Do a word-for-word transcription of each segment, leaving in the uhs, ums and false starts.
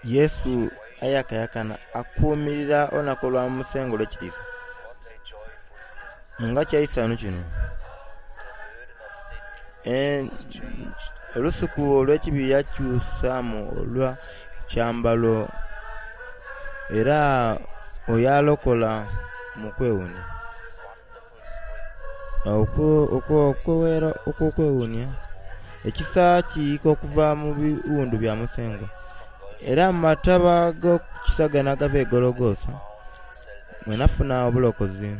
Yesu ayakayakana akuumirira olunaku olwa Musengwa olw'ekitiisa. What a joyful bliss Nga kya isanhu kino! The burden of sin En- is changed Olusuku olw'ekibi yakyusaamu olwa kyambalo era oyo alokola mu kwewuunia. wonderful spring Okwo- okwo- Okweghera okw'okwewuunia, Jesus warms ekisa kiyiika okuva mu biwundu bya Musengwa. from Golgotha Era mu mataba ag'okukisa gano agava e Gologosa, found salvation. mwe nafuna obulokozi.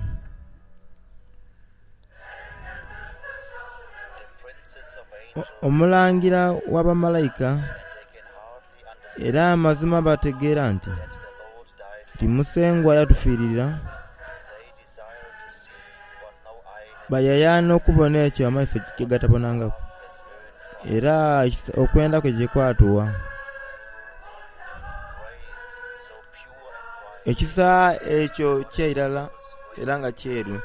The princes of O- angels Omulangira w'abamalayika and they can hardly understand era amazima bategeera nti that the Lord died nti Musengwa yatufiirira, for they desire to see what no eye has bayayaana okubona ekyo amaiso ge gatabonangaku. has earned for Era ekisa- okwenda kwe gye kwatuwa. grace so pure and bright Ekisa ekyo kyeirala era nga kyeru,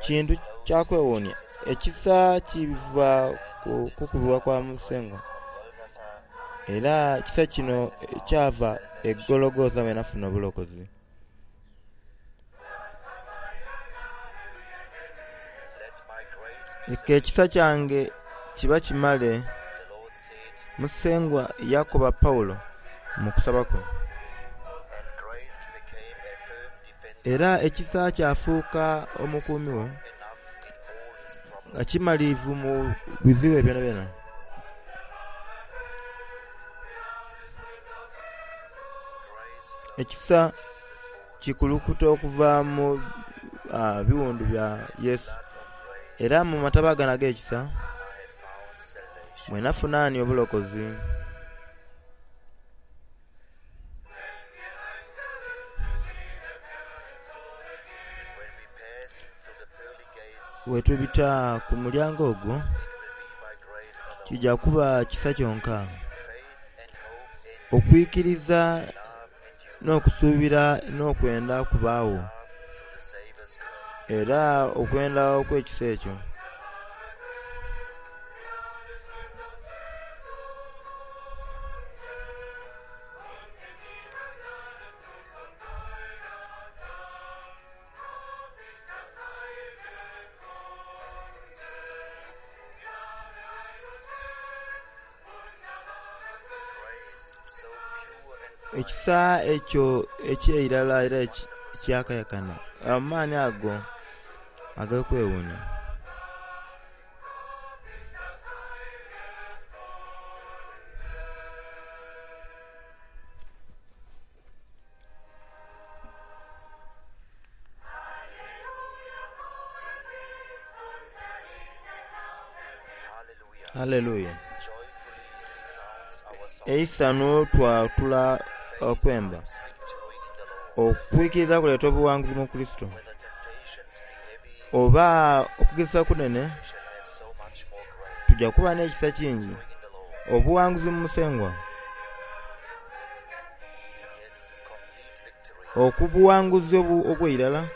kintu kya kwewuunia. Ekisa kiva ku kukubibwa kwa Musengwa. Golgotha Era ekisa kino kyava e Gologosa mwe nafuna obulokozi. let my grace be Leka ekisa kyange kiba kimale, the Lord said Musengwa yakoba Pawulo mu kusaba kwe. and grace became a firm defense Era ekisa kyafuuka omukuumi we enough in all his troubles nga kimaliivu mu bizibu ebyo byonabyona. grace flows Ekisa Jesus wounds kikulukuta okuva mu ah, biwundu bya Yesu. of grace Era mu mataba gano ag'ekisa I have found salvation mwe nafunaani obulokozi. when we pass through the pearly gates Bwe tubita ku mulyango ogwo it will be by grace alone kijja kuba kisa kyonka. faith and hope in Okwikiriza love and you n'okusuubira n'okwenda kubaawo love through the Savior's grace era okwenda okw'ekisa ekyo. grace so pure and bright Ekisa ekyo ekyeirala era eki- ekyakayakana amaani ago ag'okwewuunia. hallelujah Haleluya! joyfully resounds our song Eisanu twatula okwemba. victory in the Lord Okwikiriza kuleeta obuwanguzi mu Kristo. whether temptations be heavy Oba okugezesa kunene we shall have so much more grace tujja kuba n'ekisa kingi. in the Lord Obuwanguzi mu Musengwa. yes complete victory Okubuwanguzi obu- obw'eirala.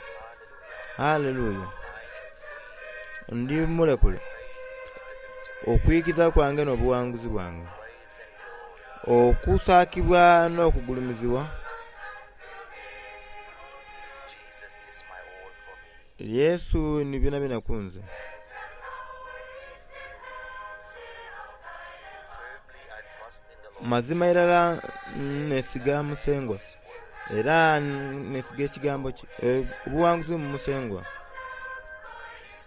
hallelujah Haleluya! I am free Ndi mulekule. faith is the victory Okwikiriza kwange n'obuwanguzi bwange. praise and glory Okusaakibwa n'okugulumizibwa Jesus is my all for me Yesu ni byonabyona ku nze. firmly I trust in the Lord Mazima irala nesiga Musengwa his word era nesiga ekigambo kye. Eh, Obuwanguzi mu Musengwa. peace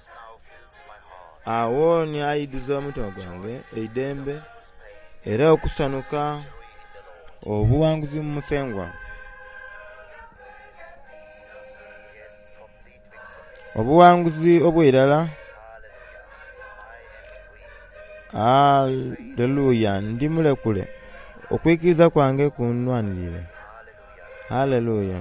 now fills my heart Awo ni aidhuza omutima gwange eidembe sin's pain era okusanuka victory in the Lord obuwanguzi mu Musengwa. yes complete victory Obuwanguzi obw'eirala. hallelujah I am free Haleluya! Ndi mulekule. Okwikiriza kwange kunnwanirire. hallelujah Haleluya!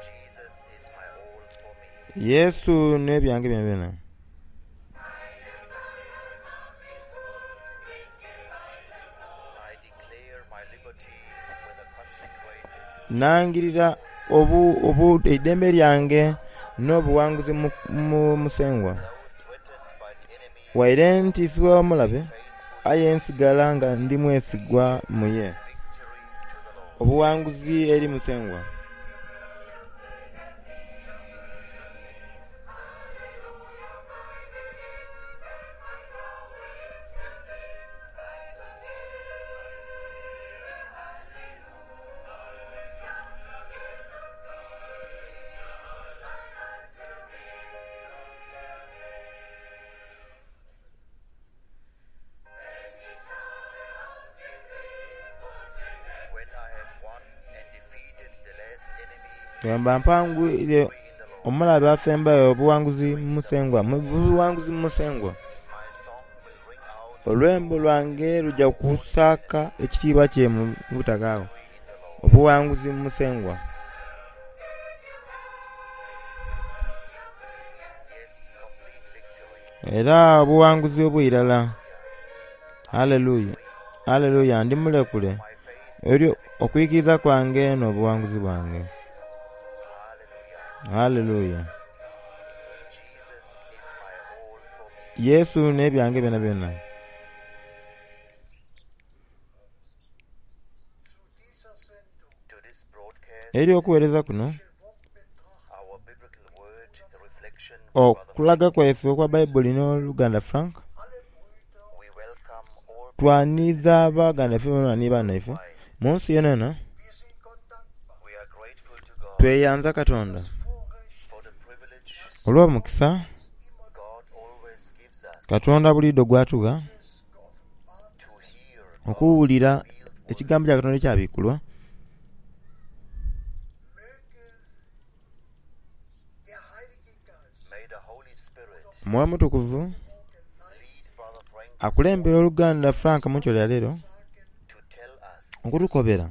Jesus is my all for me Yesu n'ebyange byonabyona. I declare my liberty with a consecrated Nangirira obu, obu eidembe lyange n'obuwanguzi mu, mu Musengwa. though threatened by the enemy Waire ntiisibwa omulabe, faithfully Aye nsigala nga ndi mwesigwa mu ye. Victory to the Lord. Obuwanguzi eri Musengwa. When I have won and defeated the last enemy, Bwemba mpangwire victory in the Lord. omulabe asembayo obuwanguzi mu Musengwa, mu buwanguzi mu Musengwa. My song will ring out Olwembo lwange lujja kusaaka ekitiibwa kye mu butaka awo. in the Lord. Obuwanguzi mu Musengwa. Yes, complete victory. Era obuwanguzi obw'irala. Haleluya. Haleluya, ndi mulekule. My faith, Eryo okwikiriza kwange n'obuwanguzi bwange. hallelujah. Haleluya. Jesus is my all for me. Yesu n'ebyange byona byona. To this broadcast, Eri okuweereza kuno, our biblical word, the reflection, Brother okulaga kwaife okwa Bayibuli n'Oluganda Frank, we welcome all twaniza baganda baffe bona ni baana baife mu nsi yona yona. We are grateful to God Tweyanza Katonda for the privilege olw'omukisa God always gives us Katonda buliiddo gw'atugha to hear okuwulira ekigambo kya Katonda ekyabikulwa May the Holy Spirit Omwoyo Mutukuvu lead Brother Frank akulembera oluganda Frank mu nkyo lya leero to tell us okutukobera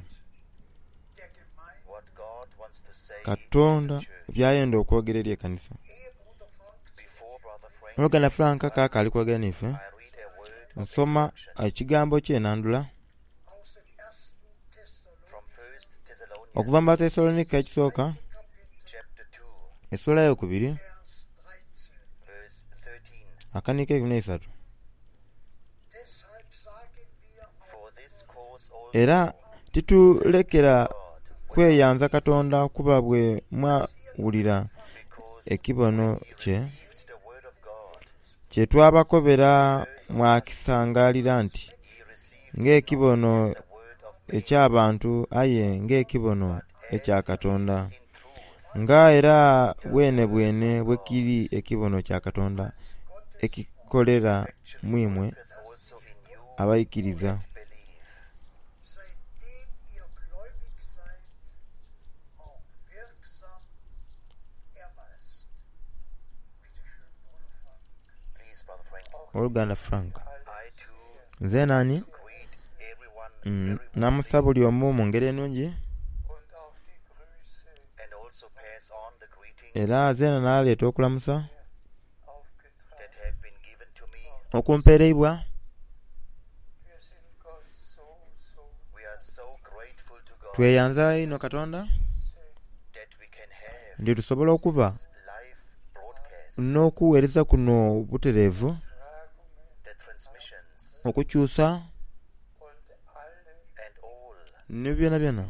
what God wants to say Katonda to the church. byayenda okwogera eri ekkanisa. Before Brother Frank, Oluganda Frank kaaka ali kwogera naife, I read a word of nsoma introduction ekigambo kye nandula from First Thessalonians okuva mu Batesalonika ekisooka chapter two, essula eyokubiri verse thirteen. akanika ekumi n'eisatu. For this cause also Era titulekera God, kweyanza Katonda kuba bwe mwawulira because ekibono kye received the word of God, kye twabakobera mwakisangalira nti ye received ng'ekibono the word of man eky'abantu aye ng'ekibono ekya Katonda in truth, nga era bwene bwene bwe kiri ekibono kya Katonda ekikolera mu imwe that also in you abaikiriza. believe. Seitdem ihr gläubig seid, auch wirksam erweist. Bitte schön, Bruder Frank. Please, Brother Frank, Oluganda Frank, I too nze nani greet everyone Mm, very namusa buli omu mu ngeri ennungi and also pass on the greetings era zeena n'aleeta okulamusa that have been given to me. okumpeereibwa. We are so grateful to God Tweyanza ino Katonda that we can have nti tusobola okuba this live broadcast, n'okuweereza kuno butereevu the transmissions, okukyusa and all ne byona byona. who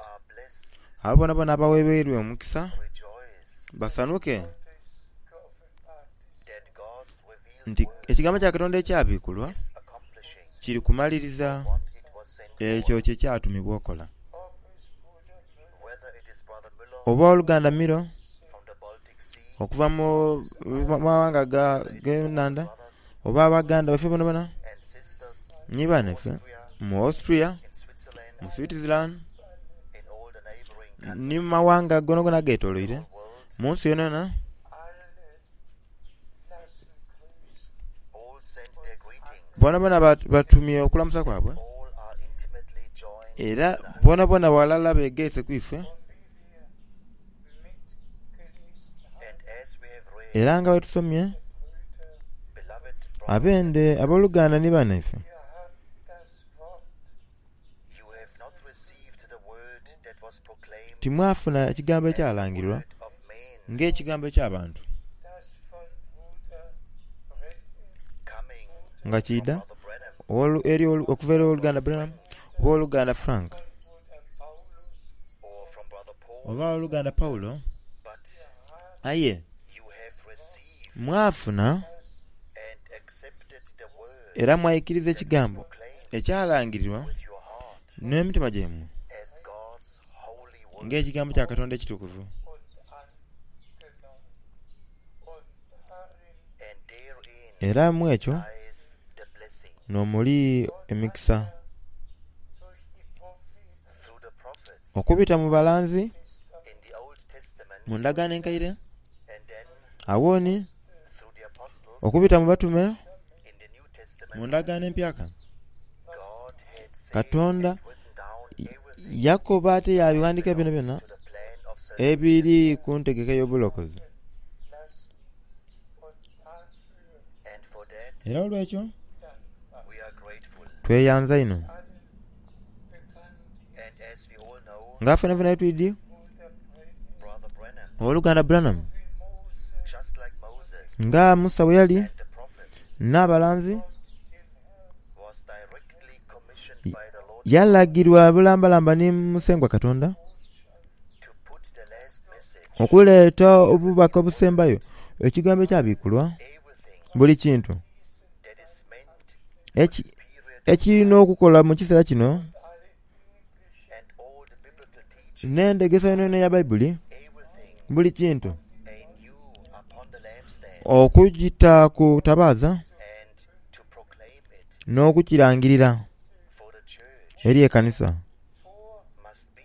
are blessed Abo bona bona abaweereirwe omukisa rejoice basanuke that God's revealed nti word ekigambo kya Katonda ekyabikulwa is accomplishing kiri kumaliriza what it was sent ekyo for. kye kyatumibwa okola. Whether it is Brother Müller Oba oluganda Miro from the Baltic Sea, okuva mu mu mawanga ga g'ennanda brothers oba abaganda baffe bona bona and sisters ni banaffe Austria, mu Austria, in Switzerland, mu Switzerland in all the neighboring countries, ni mu mawanga gonagona ageetooloire world, mu nsi yonayona all send their greetings. bona bona bat- batumye okulamusa kwabwe All are intimately joined era with us. bona bona walala begeese ku ife And as we have read, era nga bwe tusomye beloved brothers, abende abooluganda ni bannaffe you have not received the word that was proclaimed timwafuna ekigambo as the ekyalangirwa word of man ng'ekigambo eky'abantu coming nga kiida from Brother Ow'olu- eri olu- okuva eri owooluganda Branham oba owooluganda Frank Bruder Paulus, or from Brother Paul, oba owooluganda Pawulo but aye you have received mwafuna and accepted the word era mwayikiriza ekigambo proclaimed ekyalangirirwa with your heart n'emitima gyammwe as God's holy word. ng'ekigambo kya Katonda ekitukuvu und angenommen. Und darin And therein era mu ekyo lies the blessing n'omuli emikisa durch die Propheten through the prophets okubita mu balanzi in the Old Testament mu ndagaano enkaire and then awooni through the apostles okubita mu batume in the New mu Testament. ndagaano empyaka God had said Katonda and written down everything yakoba ate yabiwandiika byona byonna to the plan of salvation. ebiri ku ntegeka y'obulokozi lassen und dafür And for that era olwekyo dankbar. we are grateful. tweyanza ino Allen bekannt And as we all know, nga ffenafena twidi Bruder Branham, Brother Branham, owooluganda Branham wie Mose just like Moses nga Musa bwe yali and the prophets, n'abalanzi den Herrn was directly commissioned by the Lord yalagirwa bulambalamba ne Musengwa Katonda to put the last message, okuleeta obubaka obusembayo ekigambo ekyabikulwa everything buli kintu that is meant eki- this period ekirina okukola mu kiseera kino alle biblischen and all the biblical teaching, n'endegesa yonayona eya Bayibuli everything buli kintu anew upon the lampstand okugita ku tabaaza and to proclaim it n'okukirangirira for the church eri ekkanisa must be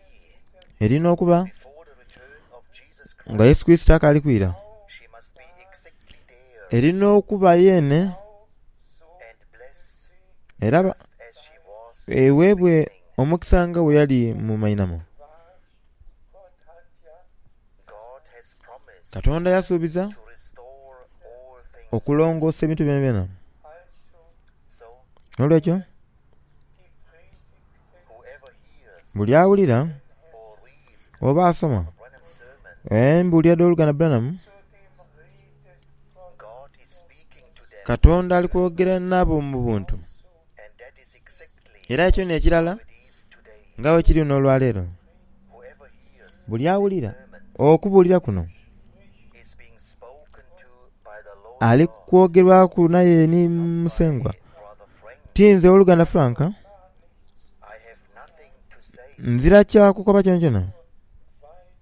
erina okuba before the return of Jesus nga Christ. Yesu Kristo akaali kwira She must be exactly there erina okuba yeene and blessed era ba- just as she was eweebwe omukisa nga bwe yali mu mainamo Gott hat ja God has promised Katonda yasuubiza to restore all things. okulongoosa ebintu byona byona also So n'olwekyo die Predigten whoever hears buli awulira or reads oba asoma Branham's sermon, embuulira d'oluganda Branham zu dem redet Gott God is speaking to them, Katonda ali kwogera nabo mu buntu and that is exactly era ekyo n'ekirala how it is today. nga bwe kiri n'olwaleero Whoever hears buli awulira sermon okubuulira kuno is being spoken to by the Lord ali God, kwogerwaku naye ni Musengwa Brother Frank. tinze oluganda Frank I have nothing to say. nzira kyakukoba kyona kyona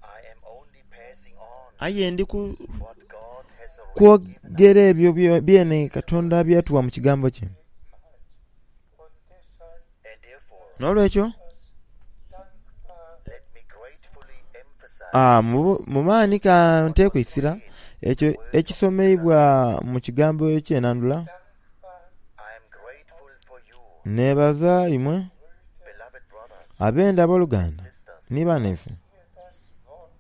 I am only passing on aye ndi ku what God has already given kwogera ebyo byo- byene Katonda byatuwa mu kigambo kye und deshalb And therefore, n'olwekyo das dankbar let me gratefully emphasize ah, mu mu maanyi ka nteekwisira ekyo ekisomeibwa mu kigambo ekyenandula dankbar I am grateful for you, neebaza imwe beloved brothers ab'enda abooluganda sisters, ni bannaffe ihr das Wort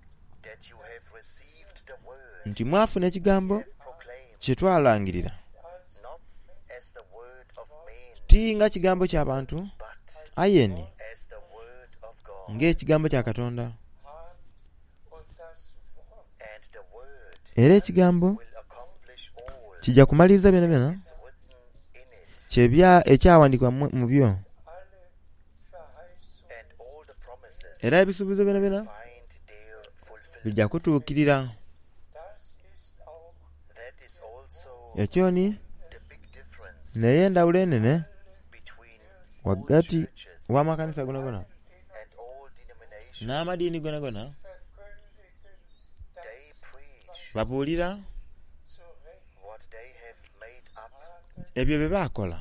that you have received the word nti mwafuna ekigambo proclaimed kye twalangirira not as the word of men, ti nga kigambo ky'abantu but aye ni as the word of God. ng'ekigambo kya Katonda hat und das Wort And the word era ekigambo will accomplish all kijja kumaliriza byona byona is written in it, kyebya ekyawandiikibwa mu mu byo alle Verheißungen and all the promises era ebisuubizo byona byona find their fulfillment. bijja kutuukirira das ist auch That is also ekyo ni the big difference naye endawulo enene between all wagati churches w'amakanisa gonagona and all denominations. n'amadiini gonagona verkündigen They preach babuulira zu Recht what they have made up, ebyo bye baakola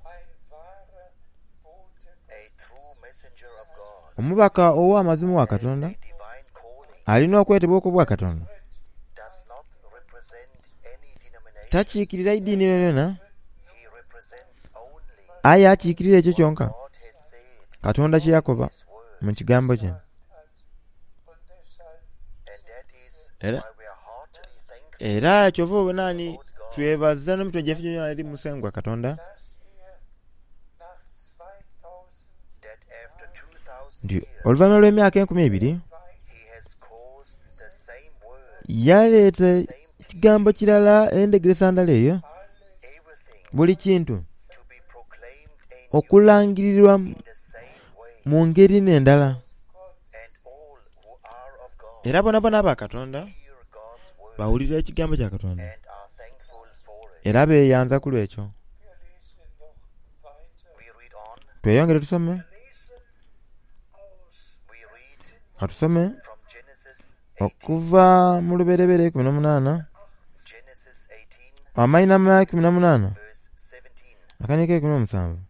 ein wahrer Bote a true messenger of God, omubaka ow'amazima wa has Katonda a divine calling, alina okwetebwa okw'obwa Katonda does not represent any denomination. takiikirira iddiini yonayona He represents only aye akiikirira ekyo kyonka God has said Katonda kye yakoba His word, mu kigambo kye hat. Und deshalb and that is Era- why we are heartily thankful era kyova obonaani twebaza n'emitwe gyaffe gyonna eri Musengwa Katonda dass er nach zweitausend that after two thousand nti years oluvannyuma lw'emyaka enkumi ebiri he has caused the same word, yaleeta ekigambo kirala endegeresa ndala eyo everything buli kintu to be proclaimed okulangirirwa mu ngeri n'endala. Era bonabona aba Katonda bawulira ekigambo kya Katonda era beyanza ku lwekyo. Tweyongere tusome. Katusome okuva mu Lubereberye ikumi n'omunaana, amainhama ikumi na munaana akaniiko eikumi n'omusanvu.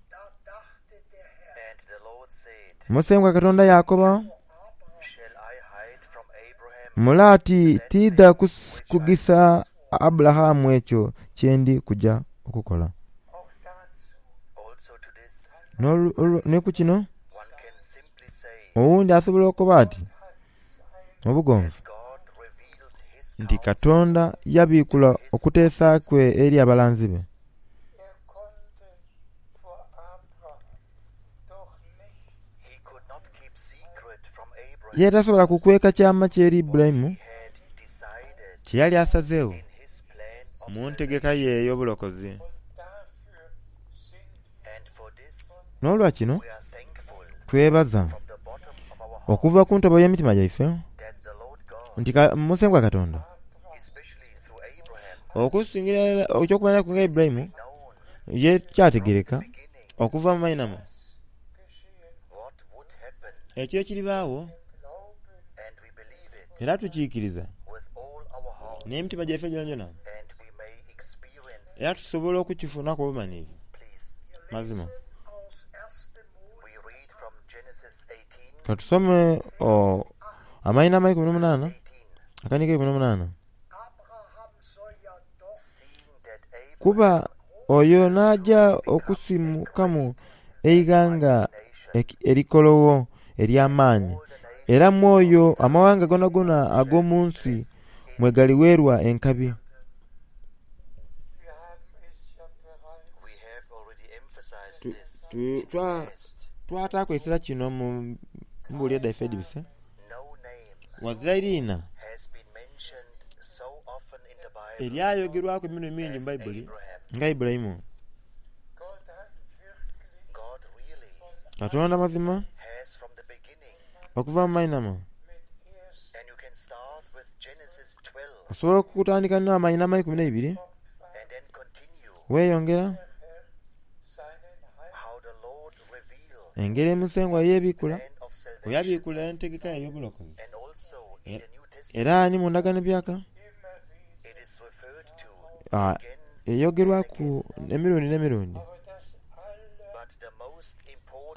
Musengwa Katonda yakoba mule ati tiidha kugisa Aburahamu ekyo kyendi kuja okukola. Ni ku kino owundi asobola okukoba ati mu bugonvu nti Katonda yabiikula okuteesa kwe eri abalanzi be. Ye tasobola kukweka kyama kye eri Ibulayimu kye yali asazeegho mu ntegeka ye ey'obulokozi. N'olwa kino twebaza okuva ku ntobo y'emitima gyaife nti Musengwa Katonda okusingira eky'okubonaku nga Ibulayimu ye kyategereka okuva mu mainhama ekyo ekiribaagho era tukiikiriza n'emitima gyaife gyonagyona era tusobola okukifunaku obumanhivu. Mazima katusome amainhama eikumi n'omunaana akaniiko eikumi n'omunaana. Kuba oyo n'aja okusimukamu eighanga erikologho ery'amaani, era mu oyo amawanga goonagoona ag'omu nsi mwe galiweerwa enkabi. Twataaku eisira kino mu mbuulire dhaife edhibise. Ghazira iriina eryayogerwaku emirundi mingi mu Baibuli nga Ibulayimu. Katonda mazima okuva mu mainhama osobola okutandika n'amainhama eikumi n'eibiri weeyongera engeri Musengwa yebiikula bwe yabiikula entegeka ye ey'obulokozi era ni mu ndagaano empyaka eyogerwaku emirundi n'emirundi.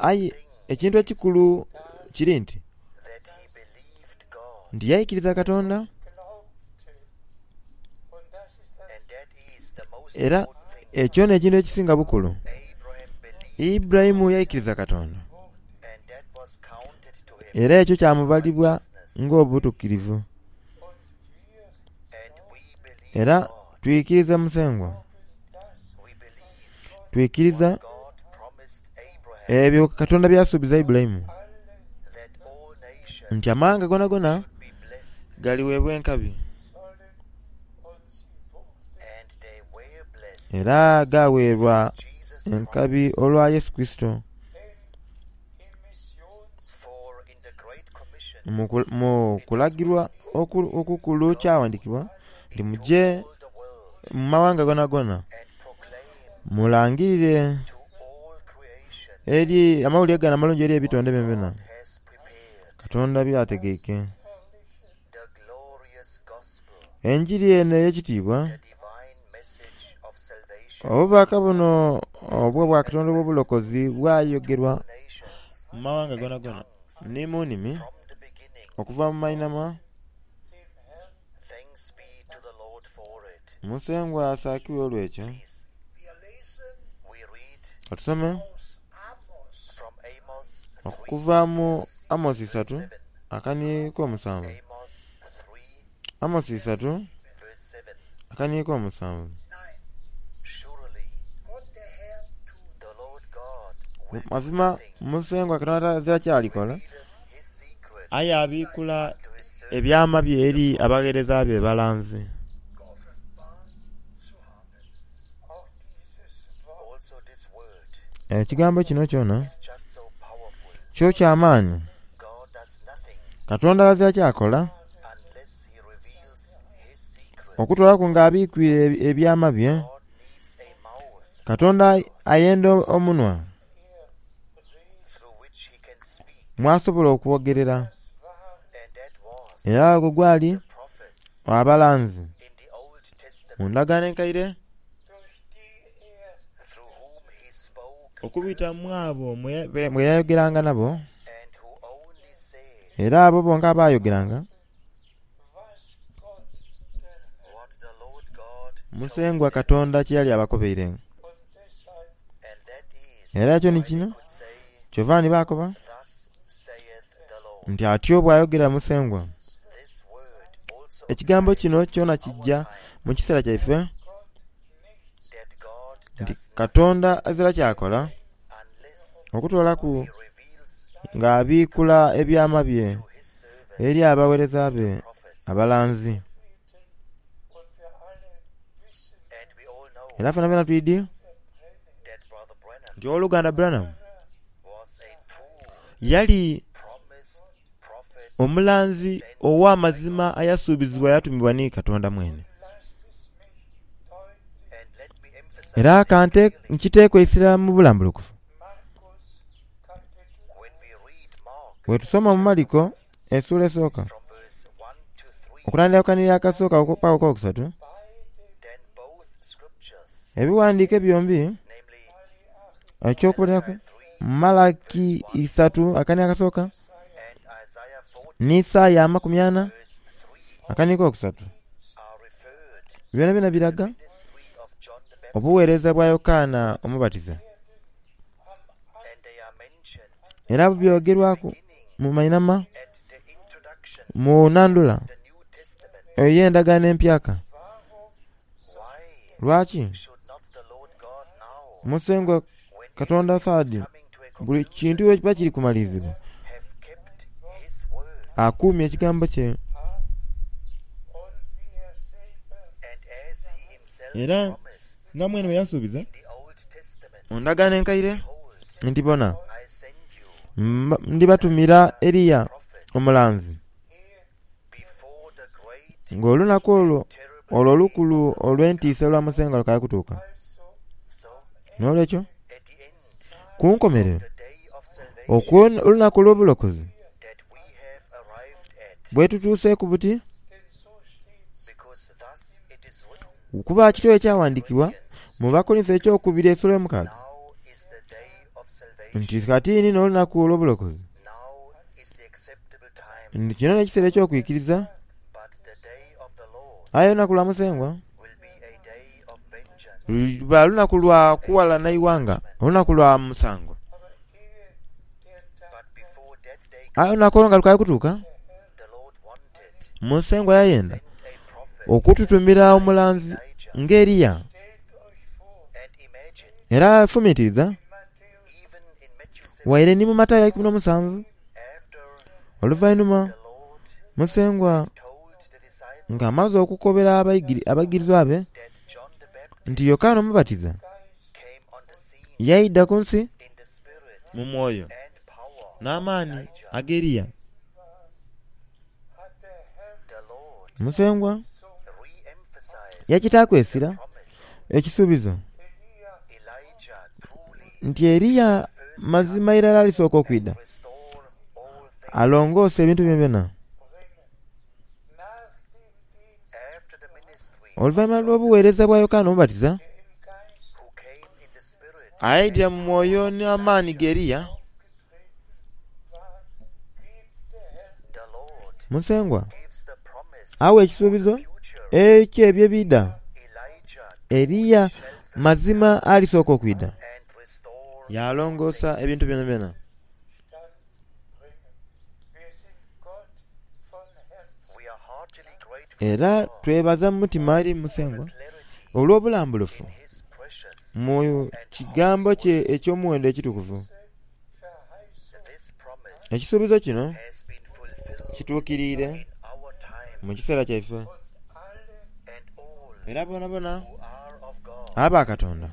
Aye ekintu ekikulu kiri nti nti yaikiriza Katonda era ekyo n'ekintu ekisinga bukulu. Ibulayimu yaikiriza Katonda era ekyo kyamubalibwa ng'obutukirivu. Era twikiriza Musengwa, twikiriza ebyo Katonda byasuubiza Ibulayimu nti amawanga goonagoona galiweebwa enkabi era gaweebwa enkabi olwa Yesu Kurisito. Mu kulagirwa okukulu kyawandikibwa nti muje mu mawanga goonagoona mulangirire eri amawulire gano amalungi eri ebitonde byonabyona Katonda byategeike. Enjiri eno ey'ekitiibwa, obubaka buno obw'obwa Katonda obw'obulokozi bwayogerwa mu mawanga goonagoona ni mu nnimi okuva mu mainhama. Musengwa asaakibwe olw'ekyo. Katusome okuva mu Amosi isatu akaniiko omusanvu. Amosi isatu akaniiko omusanvu. Mazima Musengwa Katonda azira kyalikola, aye abiikula ebyama bye eri abagheereza be balanzi. Ekigambo kino kyona is just so powerful. kyo kyamaanyi. God does nothing Katonda azira kyakola unless he reveals his secret. okutwalaku ng'abikwire ebi- ebyama bye. God needs a mouth Katonda ayenda omunwa through which he can speak, mwasobola okwogerera. and that was Era ogwo gwali the prophets abalanzi in the Old Testament mu ndagaano enkaire durch die er through whom he spoke okubita mu abo mwe be- mwe yayogeranga nabo and who only said era abo bonka abaayogeranga was Gott der Herr what the Lord God Musengwa Katonda kye yali abakobeire. und deshalb and that is Era ekyo ni why they kino could say kyova ni baakoba thus saith the Lord. nti atyo bw'ayogera Musengwa. This word also Ekigambo applies kino kyona to our kijja time, mu kiseera kyaife Gott nichts that God nti does Katonda azira kyakola unless okutwalaku he reveals ng'abiikula ebyama bye to his servants eri abaweereza be prophets. abalanzi. und wir alle wissen And we all know Era ffena ffena twidi that Brother Branham nti owooluganda Branham was a true yali promised prophet omulanzi ow'amazima ayasuubizibwa yatumibwa ni Katonda mwene. lasst es mich deutlich and let me emphasize Era that kante clearly nkiteekwa essira mu bulambulukufu. Markus Kapitel when we read Mark Bwe tusoma mu Maliko essuula esooka from verse one to three okutandika kukanira akasooka paka okwokusatu beide then both scriptures ebiwandiike byombi namely ekyokuliraku three Malaki isatu akani akasooka and Isaiah forty ni Isaaya amakumi ana verse three akani kokusatu are referred byona byona biraga to the ministry of John the Baptist obuweereza bwa Yokaana Omubatiza and they are mentioned era byogerwaku beginning mu mainama at the introduction mu nandula of the New Testament. ey'endagaano empyaka. Why Lwaki should not the Lord God now, Musengwa when Katonda everything is Saadi coming to a buli conclusion, kintu bwe kiba kiri kumalirizibwa have kept his word akuumye ekigambo kye und wie er selber and as he himself Era- promised nga mwene bwe yasuubiza in the Old Testament, mu ndagaano enkaire behold, nti bona I send you mba- ndibatumira Eriya prophet omulanzi before the great ng'olunaku olwo terrible olwo olukulu olw'entiisa olwa Musengwa lukaye kutuuka. also so N'olwekyo at the end ku nkomerero the day of salvation okwo olunaku olw'obulokozi that we have arrived at bwe tutuuseeku buti denn so steht's because thus it is written kuba kityo ekyawandiikibwa mu Bakolinso ekyokubiri essula y'omukaaga now is the day of salvation nti kati n'olunaku olw'obulokozi now is the acceptable time nti kino n'ekiseera eky'okwikiriza but the day of the Lord aye olunaku lwa Musengwa will be a day of vengeance luba lunaku lwa kuwalana iwanga olunaku lwa musango aber ehe der Tag but before that day aye olunaku olwo nga lukaye kutuuka the Lord wanted Musengwa yayenda send a prophet okututumira omulanzi Elijah ng'Eriya stellt euch vor and imagine era fumiitiriza in Matthäus even in Matthew seven waire ni mu Matayo ikumi n'omusanvu after oluvannyuma the Lord Musengwa told the disciples ng'amaze okukobera abayigiri- abayigirizwa be that John the Baptist nti Yokaana Omubatiza came on the scene yayidda ku nsi in the spirit mu mwoyo and power n'amaanyi ag'Eriya. hat der Herr the Lord Musengwa re-emphasized yakitaaku essira promise ekisuubizo Elia Elijah truly nti Eriya mazima irala alisooka okwidda restore all things alongoose ebintu bye byonna. bringen nach dem Dienst after the ministry Oluvannyuma lw'obuweereza bwa Yokaana Omubatiza der im Geist who came in the spirit ayidira mu mwoyo n'amaanyi g'Eriya aufgetreten war gibt der Herr the Lord Musengwa gives the promise awa ekisuubizo future ekyo ebyo ebidda Elijah Eriya mazima alisooka okwidda and restore yalongoosa ebintu byonna byonna. Stand bringen. Wir sind Gott von Herzen we are heartily grateful Era to God twebaza mu mutima eri for the Musengwa clarity olw'obulambulufu in his precious mu kigambo kye eky'omuwendo ekitukuvu. Verheißung this promise Ekisuubizo kino has been fulfilled kituukiriire in our time mu kiseera kyaife und alle and all era boonabona who are of God aba Katonda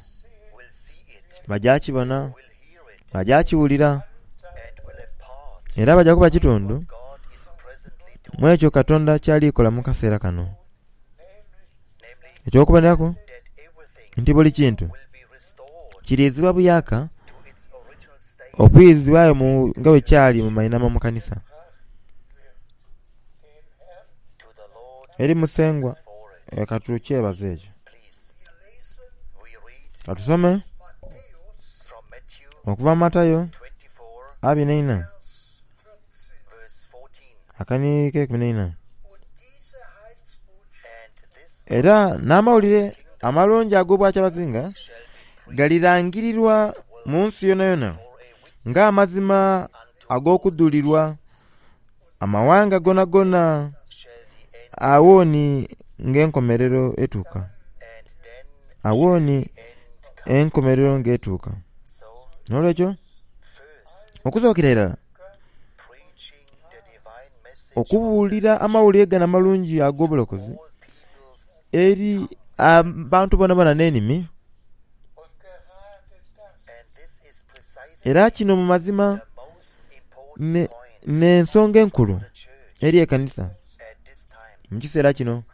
will see it Bajja kibona, will hear it, bajja kiwulira, and will have part era bajja kuba kitundu what God is presently doing, mu ekyo Katonda kyalikola mu kaseera kano. namely Ekyokuboneraku that everything nti buli kintu will be restored kiriizibwa buyaka to its original state okuyizibwayo mu nga bwe kyali mu mainama mu kanisa to the Lord eri Musengwa. for it. E, katukyebaze ekyo. Please, we read Katusome from Matthew okuva mu Matayo twenty-four, abiri n'eina verse fourteen. akani k'ekumi n'eina. And this Era n'amawulire amalungi ag'obwakyabazinga shall be galirangirirwa mu nsi yona yona for a witness ng'amazima ag'okudulirwa amawanga gona gona shall the end, awooni ng'enkomerero etuuka, and then awooni end come. enkomerero ng'etuuka. So N'olwekyo first, okusookera irala preaching the divine message okubuulira amawulire gano amalungi ag'obulokozi all peoples eri abantu bona bona n'enimi, Und gerade das and this is precisely era kino mu mazima the most important ne- point n'ensonga enkulu of the church eri ekanisa at this time. mu kiseera kino. können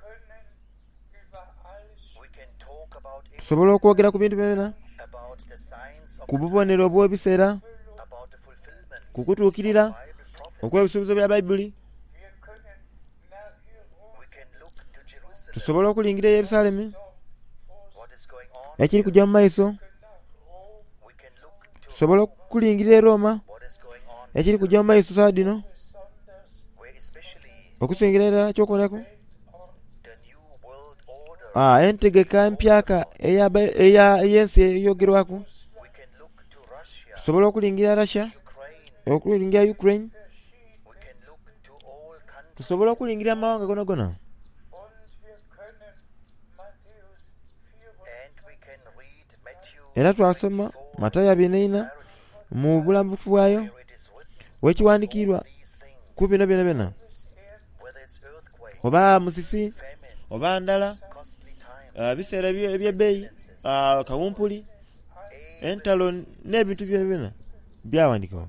über alles We can talk about everything, Tusobola okwogera ku bintu byonna, about the signs of ku the bubonero times, bw'ebiseera, about the fulfillment ku kutuukirira of Bible prophecy. okw'ebisuubizo bya Bayibuli. Wir können nach We can look to Jerusalem, Tusobola okulingira e Yerusaalemi what is going on. ekiri kujja mu maiso, We can look to tusobola okulingira e Roma what is going on, ekiri kujja mu maiso saa dino, where especially okusingira irala kyokuboneraku the new world order. ah, entegeka empyaka eya Ba- eya- ey'ensi eyogerwaku. We can look to Russia, Tusobola okulingira Russia, Ukraine. okulingira Ukraine, We can look to all countries. tusobola okulingira amawanga gona gona. Und wir können Matthäus And we can read Matthew Era twasoma Matayo abiri n'eina clarity, mu bulambufu bwayo where it is written wekiwandiikirwa these things, ku bino byona byona, whether it's earthquake, oba musisi famine, oba ndala, costly times, ah, biseera ebye- eby'ebbeeyi, ah, kawumpuli, entalo n'ebintu byona byona byawandiikibwa.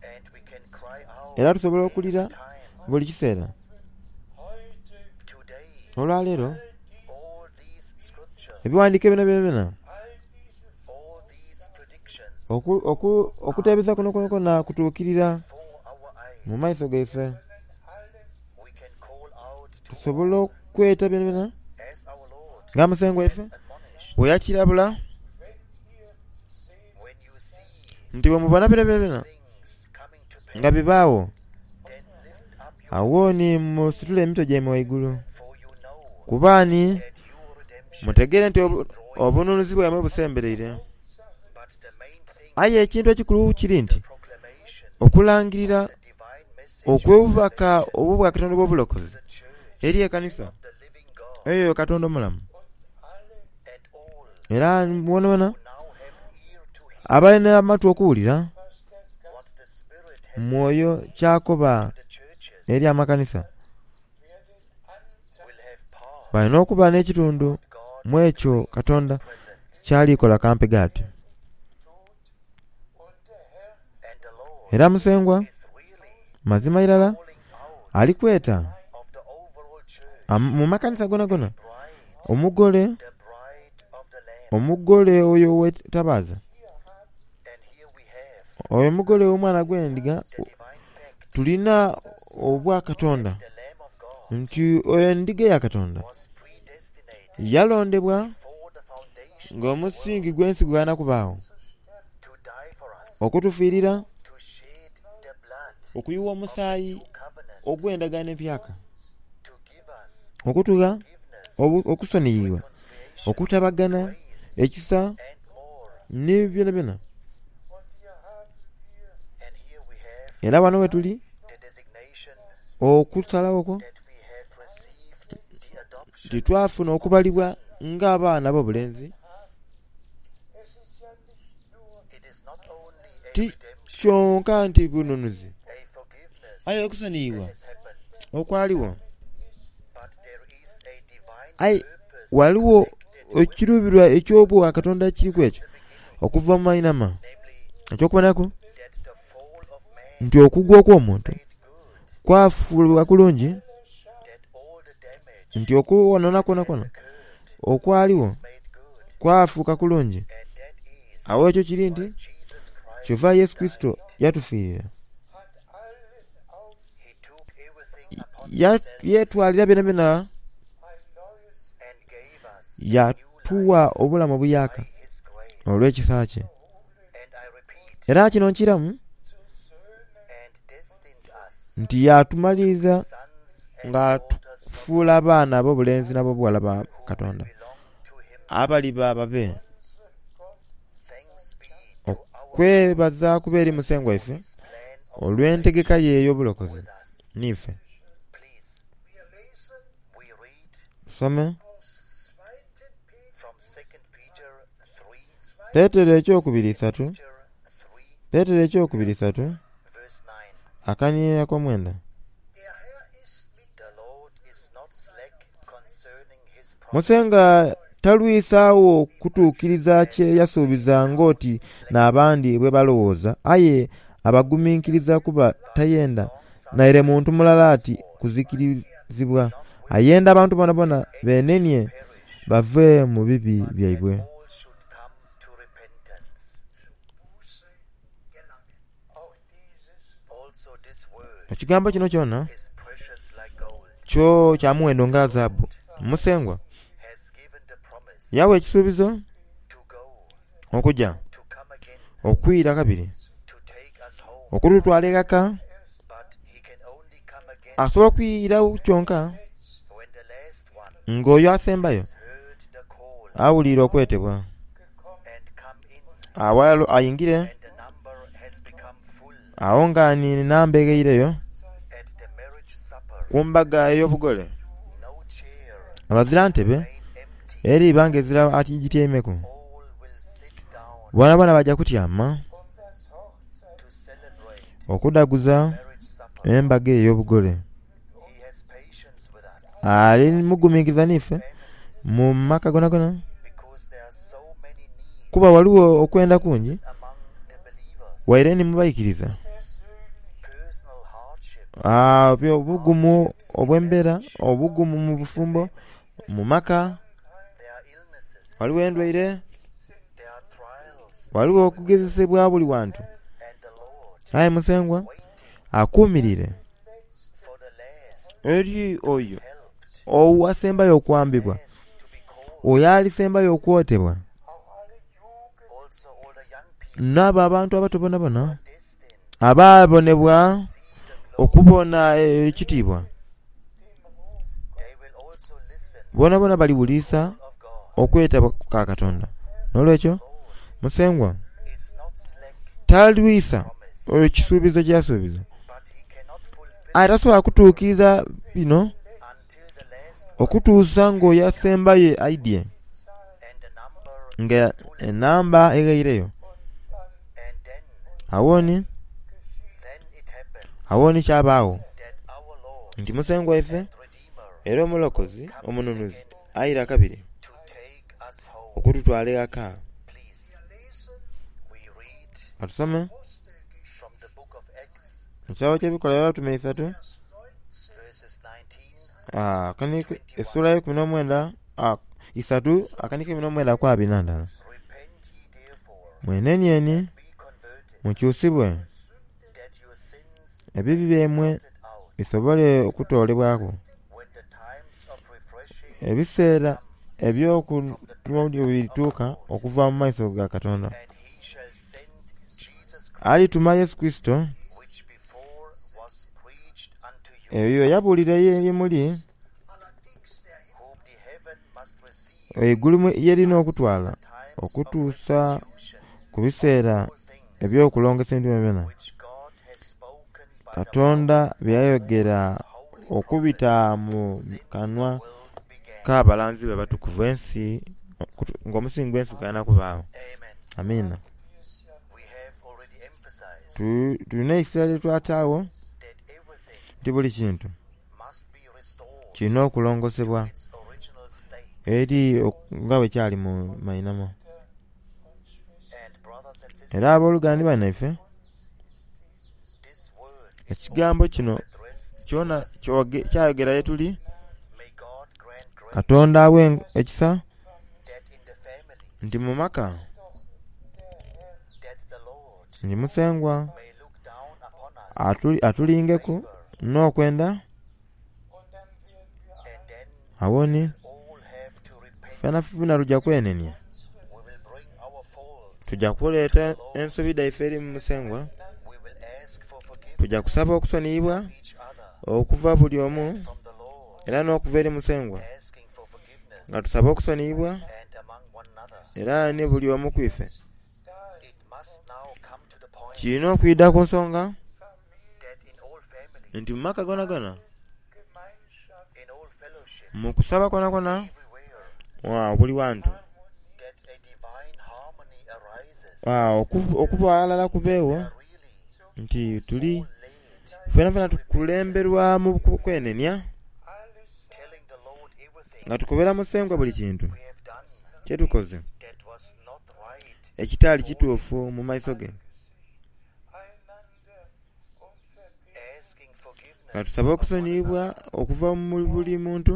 and we can cry out Era tusobola okulira time buli kiseera. heute today. Olwaleero All these scriptures, ebiwandiiko byona byona byona all diese all these predictions oku- oku- okuteebeza kuno kuno kwona kutuukirira for our eyes, mu maiso gaife. allen we can call out to Tusobola okweta byona byona as our Lord nga Musengwa waife admonished. bwe yakirabula wenn ihr seht, When you see nti bwe mubona byona byona byona things coming to pass, nga bibaawo, then lift up your awooni musitule emitwe gyammwe waigulu, for you know kubaani that your redemption mutegeere nti obu- obununuzi bwammwe busembereire. But the main thing, Aye ekintu ekikulu kiri nti proclamation okulangirira the divine message okw'obubaka obw'obwa Katonda obw'obulokozi the church eri ekanisa of the living God eyo Katonda omulamu. and all Era bonabona who now have ear to hear abalina amatu okuwulira what the Spirit has mwoyo kyakoba to the churches eri amakanisa will have part balina okuba n'ekitundu God mu ekyo Katonda present kyalikola kampe ati. tut und der Herr and the Lord Era Musengwa is really mazima irala calling out alikweta of the overall church am- mu makanisa gona gona bride omugole the bride of the Lamb omugole oyo wetabaaza and here we have oyo omugole w'omwana gw'endiga the divine fact tulina obwa Katonda the Lamb of God nti oyo endiga ya Katonda was predestinated yalondebwa for the foundation ng'omusingi gw'ensi gwalina kubaawo to die for us okutufiirira to shed the blood okuyiwa omusaayi new covenant ogw'endagaano empyaka to give us okutugha forgiveness obu- okusoniyibwa reconciliation okutabagana grace ekisa and more ne byona byona. und hier haben wir and here we have Era wano we tuli the designation okusalawo okwo that we have received the adoption nti twafuna okubalibwa ng'abaana b'obulenzi es ist ja nicht nur it is not only a ti redemption kyonka nti bununuzi a forgiveness aye okusoniyibwa has happened okwaliwo but there is a divine aye purpose waliwo ekiruubirwa eky'obwa Katonda kiriku ekyo the beginning Okuva mu mainhama namely ekyokubonaku that the fall of man nti okugwa okw'omuntu made good, kwafuulibwa kulungi that all the damage nti okuwonona kwonakwo okwaliwo made good, kwafuuka kulungi and that is awo ekyo kiri nti why Jesus Christ kyova Yesu Kristo yatufiirira hat alles auf he took everything upon Ya- himself yeetwalira byona byona ein neues and gave us yatuwa obulamu obuyaka by his grace. olw'ekisa kye And I repeat, era kino nkiramu zu Söhnen and destined us nti yatumaliriza sons and nga daughters of tufuula abaana ab'obulenzi n'ab'obuwala ba Katonda belong to him. abali bababe Thanks be to our okwebaza kuba eri Musengwa waife plan of olw'entegeka ye ey'obulokozi with us. niife Please, Wir lesen we read tusome aus zweiten Petrus from Second Peter three, Peetero ekyokubiri isatu Peter three, Peetero ekyokubiri isatu verse nine. akaniye akomwenda Der Herr ist mit The Lord is not slack concerning his promise, Musenga talwisaawo kutuukiriza kye yasuubiza ng'oti n'abandi bwe balowooza aye abagumiikiriza kuba tayenda naire muntu mulala ati kuzikirizibwa ayenda abantu bonabona beenenie bave mu bibi byaibwe all should come to repentance. Buße gelangen. Auch dieses Also this word ekigambo kino kyona is precious like gold, kyo kya muwendo nga zaabu Musengwa has given the promise yawa ekisuubizo to go, okujja to come again, okwira kabiri to take us home. okututwala ekaka But he can only come again asobola okwirawo kyonka when the last one ng'oyo asembayo has heard the call awulira okwetebwa and come in, awalo ayingire and the number has become full awo nga ni namba egheireyo at the marriage supper. ku mbaga ey'obugole No chair abazira ntebe remain empty. eri ibanga ezira atigityemeku All will sit down bona bona bajja kutyama um das Hochzeit to celebrate okudaguza marriage supper. embaga ey'obugole He has patience with us, ali mugumiikiriza niife families, mu maka gonagona because there are so many needs kuba waliwo okwenda kungi among the believers. waire ni mubayikiriza Personal hardships, Ah, byo- obugumu obw'embeera obugumu mu bufumbo mu maka there are illnesses, waliwo endwaire there are trials, waliwo okugezesebwa buli wantu and the Lord aye Musengwa waiting akuumirire for the last eri oyo helped, owasembayo okwambibwa last to be called. oyo alisembayo okwotebwa auch alle Jugend Also all the young people n'abo abantu abato bonabona destined abaabonebwa to see the glory. okubona ekitiibwa dem Ruf They will also listen bonabona baliwulisa of God. okwetaba ka Katonda n'olwekyo Lord Musengwa is not slack talwisa promise, ekisuubizo kyeyasuubiza but he cannot fulfill aye tasobola kutuukiriza bino until the last one okutuusa ng'oyo asembayo aidye and the number nga enamba egheireyo and then awoni then it happens awoni kyabaawo that our Lord nti Musengwa waife and Redeemer era omulokozi omununuzi ayira kabiri to take us home. okututwala ewaka Please, Wir lesen we read katusome from the book of Acts, ekitabo ky'ebikolwa by'abatume isatu Vers neunzehn verses nineteen ah, akaniko essula y'ekumi n'omwenda ah, isatu akaniko ekumi n'omwenda ku abiri na ndala Repent ye therefore, mwenenieni be converted, mukyusibwe that your sins ebibi byemwe blotted out bisobole okutoolebwako when the times of refreshing ebiseera eby'okulwa birituuka okuva mu maiso ga Katonda and he shall send Jesus Christ, alituma Yesu Kristo which before was preached unto you, ebyo yabuulira ye muli allerdings der Himmel whom the heaven must receive eigulu mu- yerina okutwala times of okutuusa restitution ku biseera all things eby'okulongesa ebintu byonna which God has spoken by the Katonda bye yayogera holy okubita mu since the kanwa world began. k'abalanzi be abatukuvu ensi okutu- ng'omusingi gw'ensi gulina kubaawo Amen. amiina We have already emphasized Tu- tulina ekiseera lye twataawo that everything nti buli kintu must be restored kirina okulongosebwa to its original state. eri ok- nga bwe kyali mu mainama And Brothers and Era sisters, abooluganda banaife, this word ekigambo kino addressed kyona kyoge- kyayogera ye tuli. may God grant grace Katonda awe ekisa that in the families nti mu maka that the Lord nti Musengwa may look down upon us atuli- atulingeku n'okwenda and then awoni all have to repent. fena funa tujja kwenenya, We will bring our faults. tujja kuleeta ensobi dhaife eri mu Musengwa, We will ask for forgiveness tujja kusaba okusoniyibwa each other okuva buli omu from the Lord, era n'okuva eri Musengwa, asking for forgiveness nga tusaba okusoniyibwa and among one another. era ne buli omu ku ife. It must now come to the point Kirina okwidda ku nsonga that in all families, nti mu maka gonagona, in all fellowships, mu kusaba konakona, everywhere, wa, buli wantu that a divine harmony arises. Wa, oku- okuba alala kubeewo Really nti tuli led, fena fena tukulemberwa mu ku- kwenenya telling the Lord everything nga tukobera Musengwa buli kintu we have done kyetukoze that was not right. ekitaali kituufu mu maiso ge, Asking forgiveness, nga tusaba okusoniyibwa okuva mu buli muntu,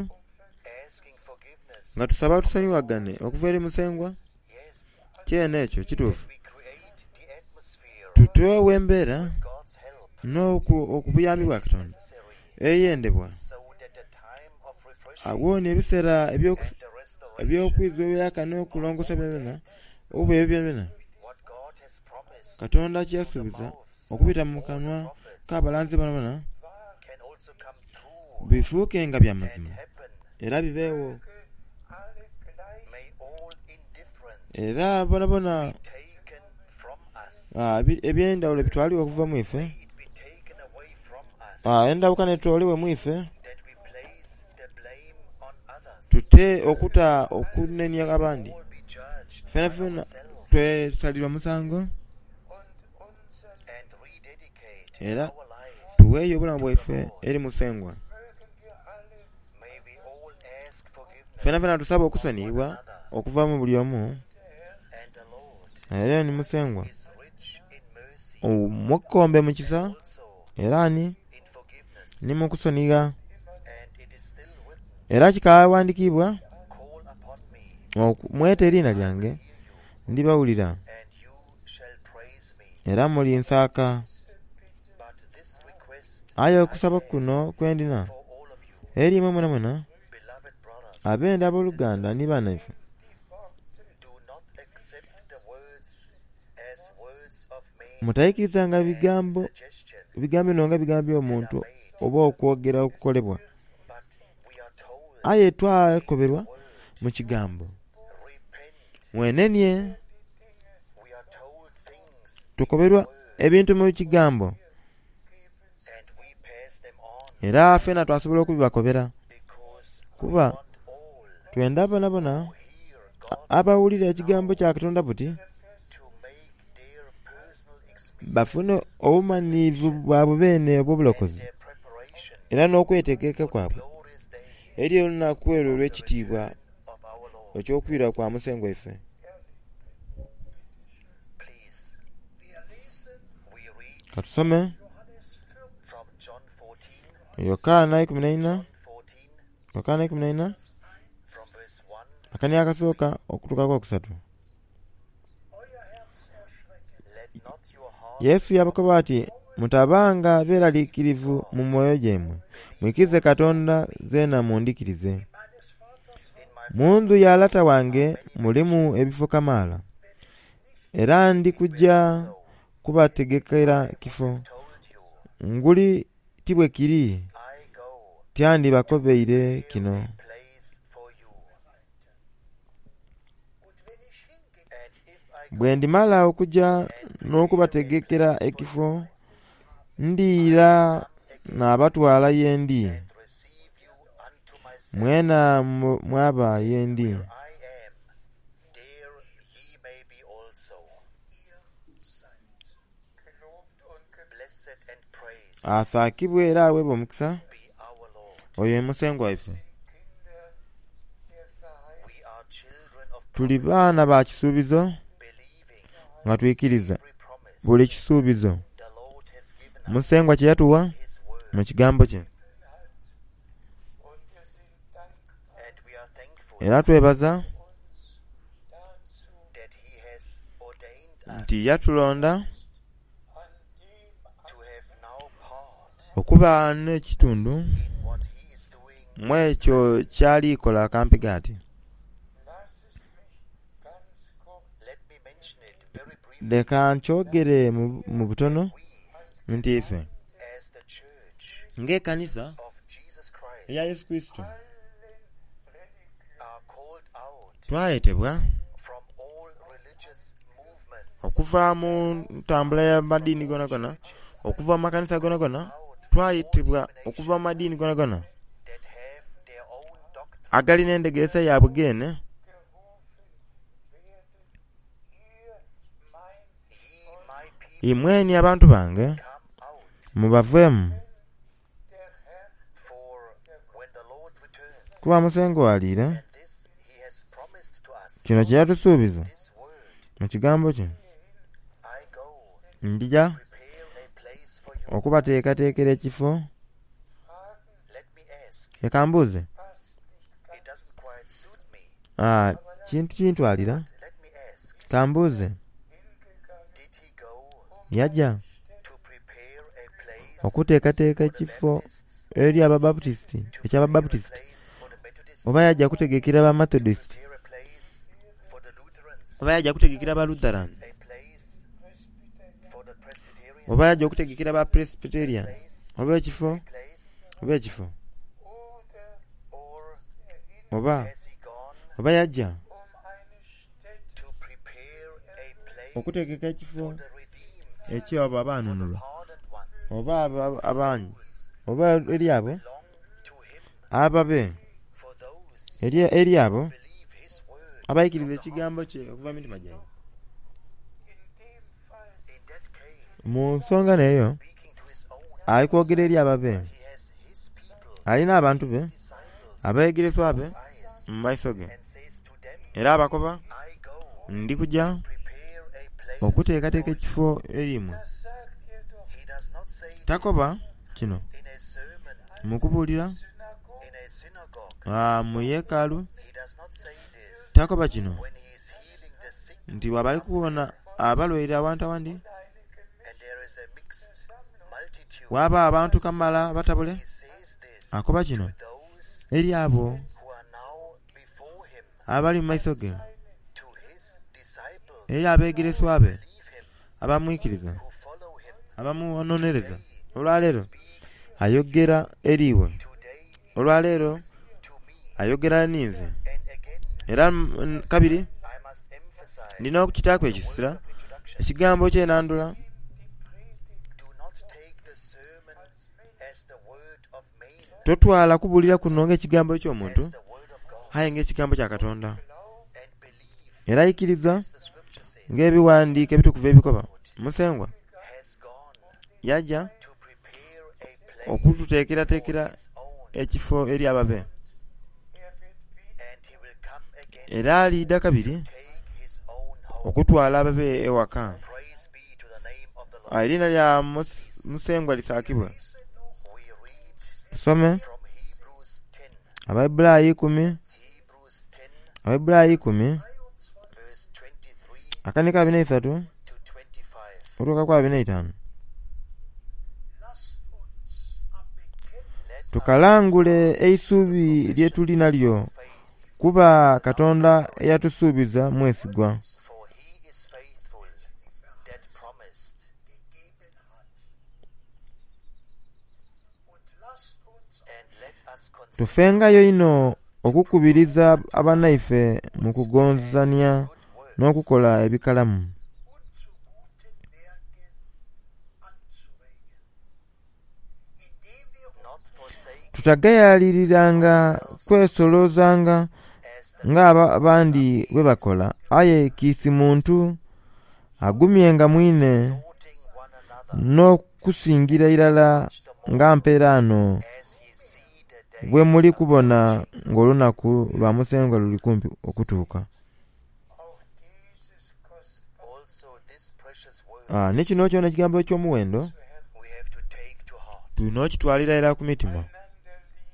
asking forgiveness. nga tusaba tusonyiwagane okuva eri Musengwa. Yes, Kyene ekyo kituufu. we create the atmosphere Tuteewo embeera God's help n'okubuyambi bwa Katonda necessary eyendebwa, so that the time of refreshing awoni ebiseera ebyoku- and the restoration eby'okwiza ebyaka n'okulongosa byonna oba ebyo byonna what God has promised Katonda kyeyasuubiza okubita mu kanwa k'abalanzi bano bana can also come true bifuuke nga bya and mazima happen. era bibeewo. May all indifference Era bonabona taken from us. ah, ebi- eby'endawulo bitwaliwe okuva mu ife, It be taken away from us ah, endawukana etwaliwe mu ife, that we place the blame on others. tute okuta okunenya abandi. All be judged Fena by fena ourselves twesalirwa musango and rededicate era our lives. tuweeyo obulamu bwaife eri Musengwa. May we all ask forgiveness Fena fena tusaba okusoniyibwa okuva mu buli omu, and the Lord era ni Musengwa is rich in mercy omukombe mu kisa also era ni in forgiveness. ni mu kusonyiga. And it is still written, Era kikawandiikibwa call upon me oku- mwete eriina lyange ndibawulira and you shall praise me. era mulinsaaka. But this request Aye okusaba kuno kwe ndina for all of you, eri imwe mwenamwena beloved brothers, abenda abooluganda ni bannaife, do not accept the words as words of men mutayikirizanga bigambo suggestions, bigambo bino nga bigambo by'omuntu oba okwogera okukolebwa, but we are told, aye twakoberwa mu kigambo repent. mwenenye. We are told things Tukoberwa ebintu mu kigambo and we pass them on era ffena twasobola okubibakobera, because we kuba want all twenda bonabona who hear God abawulira ekigambo kya Katonda buti to make their personal experience bafune obumaniivu bwabwe beene obw'obulokozi their preparation era n'okwetegeka kwabwe glorious day eri olunaku erwo olw'ekitiibwa of our Lord. eky'okwira kwa Musengwa ife. Please, Wir lesen we read Katusome Johannes vierzehn, from John fourteen, Yokaana ikumi na ina, John fourteen, Yokaana ikumi na ina from verse one akani akasooka okutuukako okusatu. euer Herz erschrecke. Let not your heart Yesu yabakoba ati mutabanga beeraliikirivu mu mwoyo gyammwe, mwikirize Katonda zeena mundikirize. Meines Vaters in my Mu ndhu ya lata wange mulimu ebifo kamaala, era ndi kujja kubategekera kifo. told you, Nguli ti bwe kiri I go tyandibakobeire kino. place for you. Und wenn ich hingehe, And if I go Bwe ndimala okujja n'okubategekera ekifo, ndiira naabatwala ye ndi, and receive you unto myself, mwena mu- mwaba ye ndi. I am, there ye may be also. ihr seid. Gelobt und gepriesen Blessed and praised Asaakibwe era aweebwe omukisa be our Lord. oyo ye Musengwa waife. Kinder der Verheißung. We are children of Tuli promise, baana ba kisuubizo believing Nga twikiriza every promise buli kisuubizo the Lord has given us Musengwa kye yatuwa in His word. mu kigambo kye. hat. Und wir sind dankbar And we are thankful Era twebaza uns dazu, that He has ordained us nti yatulonda an dem to have now part okuba n'ekitundu in what He is doing mu ekyo ky'alikola akampiga ati. Lass es mich ganz kurz Let me mention it very briefly. Leka nkyogere mu, mu butono We, nti ife as the church ng'ekkanisa of Jesus Christ, eya Yesu Kristo allen Religionen are called out twayetebwa from all religious movements, okuva mu ntambula y'amadiini gonagona, okuva mu makanisa gonagona, twayitibwa okuva mu madiini gonagona that have their own doctrine agalina endegeesa yaabwe geene gerufen werden, ihr mein Ye, my people, imweni abantu bange come out, mubaveemu der Herr for when the Lord returns, kuba Musengwa aliira and this He has promised to us, kino kye yatusuubiza this word, mu kigambo kye I go ndija prepare a place for you. okubateekateekera ekifo Fragen Let me ask, leka mbuuze passt nicht it ganz doesn't quite suit me. Ah, kintu kintwalira Let me ask, kambuuze hingegangen, did he go yajja to prepare a place okuteekateeka for the ekifo Baptists, eri ababaputisiti to prepare a ekyababaputisiti place for the Methodists, oba yajja kutegekera ba Methodist prepare a place for the Lutherans, oba yajja kutegekera ba Lutheran a place for the Presbyterians, oba yajja okutegekera ba Presbyterian place, oba ekifo place, oba ekifo oder or oba has he gone oba yajja um eine Stätte to prepare a place okutegeka ekifo for the redeemed, ekyabo abaanunulwa pardoned ones, oba aba- abanyu those oba eri abo belong to him, ababe for those eri eri abo believe his word abayikiriza ekigambo kye okuva mu mitima gyabwe in dem Fall In that case, mu nsonga neeyo speaking to his own, ali kwogera eri ababe he has his people, alina abantu be disciples, abayigirizwa be eyes, mu maiso ge and says to them, era abakoba I go ndi kujja prepare a place okuteekateeka for you." ekifo eri mmwe das sagt er doch He does not say takoba kino in a sermon, mu kubuulira Synagoge in a synagogue. ah, mu yeekaalu He does not say this takoba kino when he is healing the sick nti bw'abali kuwona abalwaire awantu awandi eine and there is a mixed multitude. waaba abantu kamala batabule He says this akoba kino to those eri abo who are now before him, abali mu maiso ge to his disciples, eri abeegereswa be believe him, abamwikiriza who follow him. abamunonereza olwaleero ayogera eriiwe Today olwaleero to me. ayogera ninze And again, era mm, kabiri I must emphasize nina okukitaako the ekisira word of introduction. ekigambo kyenandula Do not take the sermon as the word of man, totwala kubuulira kuno ng'ekigambo eky'omuntu as the word of God, aye ng'ekigambo kya Katonda and believe, era yikiriza as the scripture says, ng'ebiwandiiko ebitukuvu ebikoba Musengwa has gone yajja to prepare a place okututeekerateekera for his own, ekifo eri ababe er wird wieder and he will come again era alidda kabiri take his own home. okutwala ababe ewaka Praise be to the name of the Ah, Lord. erinnya lya Mus- Musengwa lisaakibwe We read tusome from Hebrews ten, Abaibulaayi ikumi Hebrews ten, Abaibulaayi ikumi verse twenty-three akanika abiri n'eisatu to twenty-five. otuuka ku abiri n'eitaano Lasst uns am Bekenntnis Let us tukalangule eisuubi lye tuli nalyo kuba Katonda eyatusuubiza mwesigwa for he is faithful that promised. gegeben hat. Und lasst uns And let us consider tufengayo ino okukubiriza abannaife mu kugonzania good works n'okukola ebikalamu und zu guten Werken anzuregen, indem wir not forsake tutagayaliriranga kwesolozanga as the ng'abandi bwe bakola aye kiisi muntu agumyenga mwine exhorting one another n'okusingira irala nga mpeeraano as ye see the day bwe muli kubona ng'olunaku lwa Musengwa luli kumpi okutuuka auch dieses kostbare also Also this precious word Ah, ni kino kyona ekigambo eky'omuwendo we have to take to heart, tulina okitwalira era ku mitima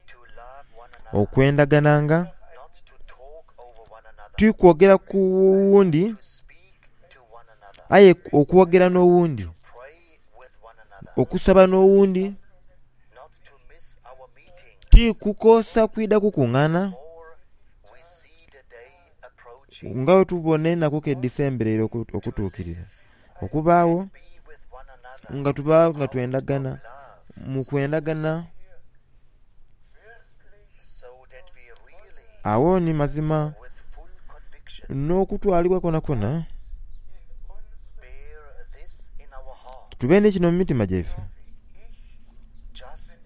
to love one another, okwendagananga not to talk over one another, tikwogera ku wundi to speak to one another, aye okwogera n'owundi pray with one another, okusaba n'owundi not to miss our meeting. tikukosa kwida kukuŋŋaana More we see the day approaching. nga bwe tubona ennaku ke disembereire oku- okutuukirira okubaawo Be with one another. nga tubaawo nga twendagana Love, mu kwendagana so that we really, awo ni mazima with full conviction, n'okutwalibwa kwona kwona bear this in our heart. tube ne kino mu mitima gyaife Just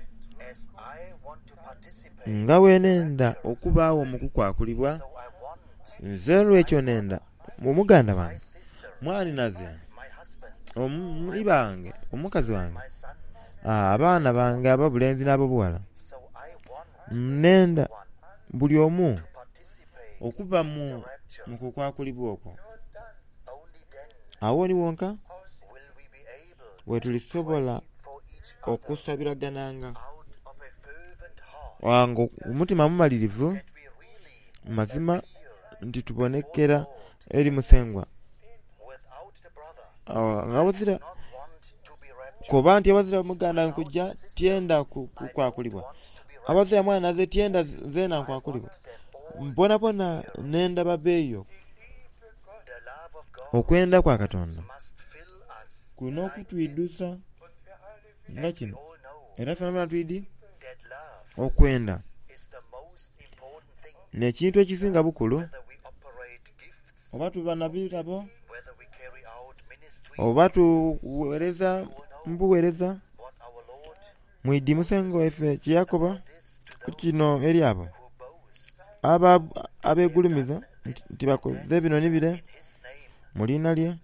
as I want to participate, nga bwenenda okubaawo mu kukwakulibwa so I want nze olwekyo nenda omuganda my wange sister, mwaninaze my husband, omuli bange omukazi wange my sons. ah, abaana bange ab'obulenzi n'ab'obuwala So I want nenda one buli omu to participate okuva mu rapture. mu kukwakulibwa okwo Only then awo ni wonka will we be able we tulisobola for each other okusabiragananga out of a fervent heart wange omutima mumalirivu that we really mazima nti tubonekera eri musengwa without the brother Ah, nga wazira not want to be raptured kuba nti abazira muganda nkujja tyenda ku- kukwakulibwa want to be raptured abazira mwana naze tyenda zeena nkwakulibwa them all mbonabona nenda babeeyo the love of God okwenda kwa katonda must fill us kulina okutwidusa nga kino all know era fena bona twidi that love okwenda is the most important thing nekintu ekisinga bukulu whether we operate gifts oba tuba na birabo whether we carry out ministries oba tuweereza mbuweereza what our Lord mwidi musengo efe kyeyakoba this to ku those kino eri abo who boast aba abeegulumiza nti nti bakoze bino ni bire in his name mu liina lye and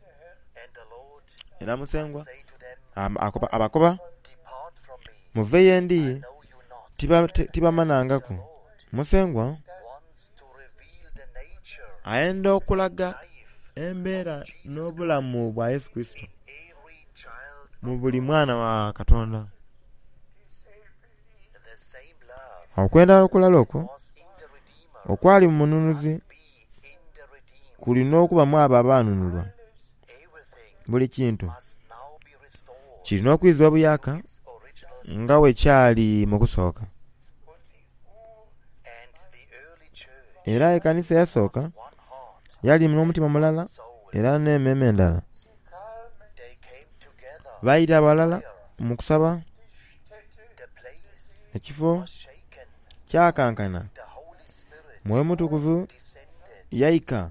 the Lord era musengwa say to them am- akoba- abakoba depart from me muve yendi know you not tiba- ti- tibamanangaku Lord musengwa wants to reveal the nature ayenda okulaga life embeera n'obulamu bwa yesu kristo every child mu buli mwana wa katonda the same love okwenda okulala okwo was in the Redeemer okwali mu mununuzi be in the redeemed kulina okubamu abo abaanunulwa everything buli kintu must now be restored kirina okwizibwa buyaka its original nga bwe kyali mu kusooka and the early church era ekkanisa eyasooka one heart yali n'omutima mulala soul era n'emmeeme endala they came together baayita abalala mu kusaba the place ekifo was shaken kyakankana the Holy Spirit mwoyo mutukuvu descended yayika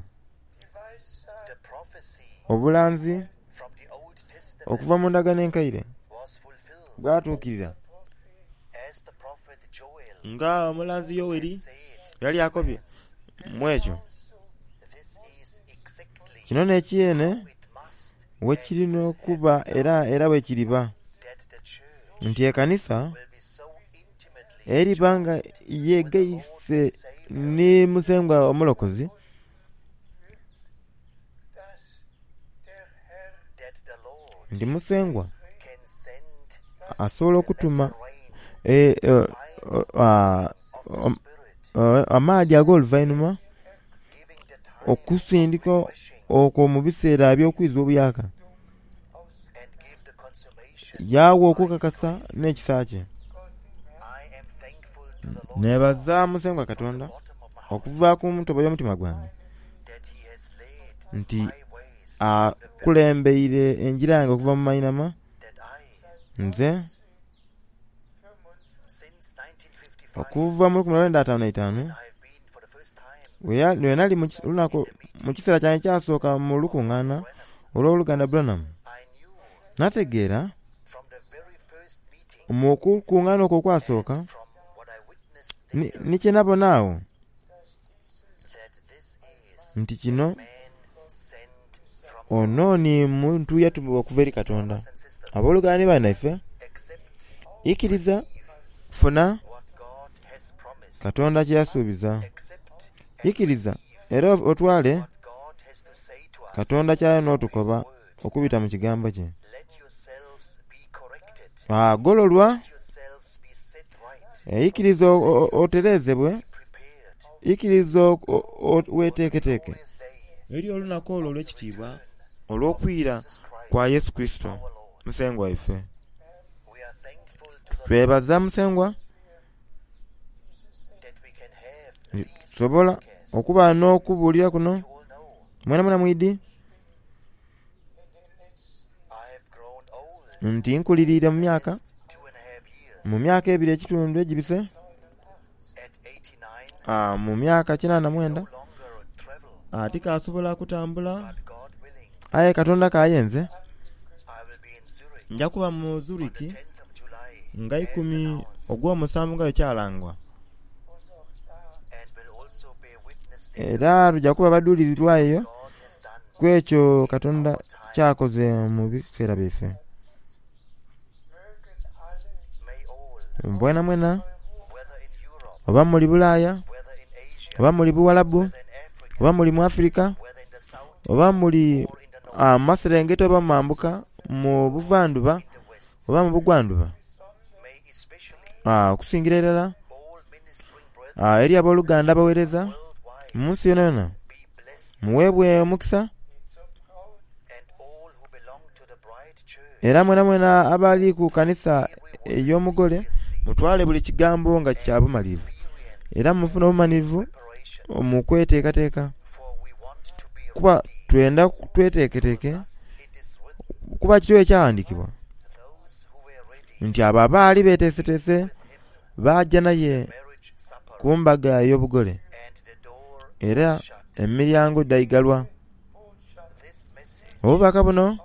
the prophecy obulanzi from the Old Testament okuva mu ndagaano enkaire was fulfilled bwatuukirira as the prophet Joel nga omulanzi yoweri said yali akobye mu ekyo this is exactly kino n'ekiyene it must we kirina okuba era era bwe kiriba that the church nti ekkanisa will be so intimately eriba nga yeegayise ne musengwa omulokozi dass der Herr that the Lord nti musengwa can send asobola okutuma rain eh, eh, ah, of the om- Spirit eh, amaadi ag'oluvannyuma giving the time okusindika okwo mu biseera eby'okwiza obuyaka and give the consummation yaawa okukakasa n'ekisa kye I am thankful to the Lord nebaza musengwa katonda bottom of my heart okuva ku ntobo y'omutima gwange that he has laid nti my ways akulembeire enjira yange okuva mu mayinama that I nze since nineteen fifty-five okuva mu lukumi lwenda ataano n'etaano I have been for the first time we lwe nali mu ki- lunaku mu kiseera kyange kyasooka mu lukuŋŋaana olw'oluganda Branham I knew nategeera from the very first meeting mu kukuŋŋaana okwo okwasooka from what I witnessed ni- ni kye nabona awo that this is nti kino man sent from ono ni muntu yatumibwa okuva eri katonda and sisters abooluganda ne bannaffe accept ikkiriza funa what God has promised katonda kye yasuubiza accept ikkiriza era otwale what God has to say to us katonda ky'alina n'otukoba Okubita mu kigambo kye. Let yourselves be corrected. Agololwa Let yourselves be set right. eikiriza o- o- otereezebwe Be prepared. ikiriza o- o- weteeketeeke Glorious day eri olunaku olwo olw'ekitiibwa olw'okwira kwa Yesu Kristo our Lord. musengwa waife. We are thankful to the Twebaza musengwa that we can have these tusobola podcasts. okuba n'okubuulira kuno You all know mwena mwena mwidi I have grown old nti nkuliriire mu myaka last two and a half years. mu myaka ebiri ekitundu egibise At eighty-nine, ah, mu myaka kinaana mwenda no longer travel, ah, tikasobola kutambula but God willing, aye Katonda kayenze I will be in Zurich nja kuba mu on the Zurich tenth of July nga as ikumi announced, ogw'omusanvu nga bwe kyalangwa and will also bear witness there era tujja kuba baduulirwa eyo God has done ku ekyo Katonda kyakoze mu biseera byaife. Mögen alle May all, Mbwena mwena whether in Europe, oba muli Bulaaya whether in Asia, oba muli Buwalabu whether in Africa, oba muli mu Afirika whether in the south oba muli or in the north, ah, mu maserengeta oba mu mambuka mu buvanduba in the west, oba mu bugwanduba may especially ah, okusingira irala all ministering brethren ah, eri abooluganda abaweereza worldwide mu nsi yona yona be blessed, muweebwe omukisa die zur Braut and all who belong to the bride church era mwena mwena abali ku kanisa ey'omugole mutwale buli kigambo nga kya bumalirivu experience era mufune obumalirivu preparation, mu kweteekateeka for we want to be kuba ready. twenda tweteeketeeke Thus it is written, kuba kiriwo ekyawandiikibwa those who were ready nti abo abaali beeteeseteese with him baajja naye marriage supper, ku mbaga ey'obugole and the door era was shut. emiryango ddayigalwa. This message Obubaka buno will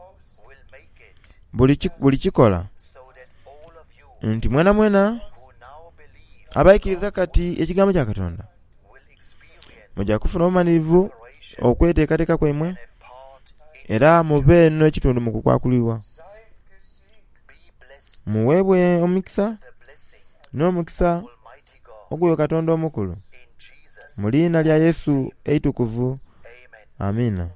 make it buli ki- buli kikola so that all of you nti mwena mwena who now believe abaikiriza kati ekigambo kya Katonda will experience mujja kufuna obumalirivu preparation okweteekateeka kwaimwe and have part in era mube n'ekitundu mu kukwakulibwa. Seid gesegnet be blessed Muweebwe omukisa the blessing n'omukisa Almighty God ogw'oyo Katonda omukulu in Jesus mu linnya lya Yesu eitukuvu Amen. amiina.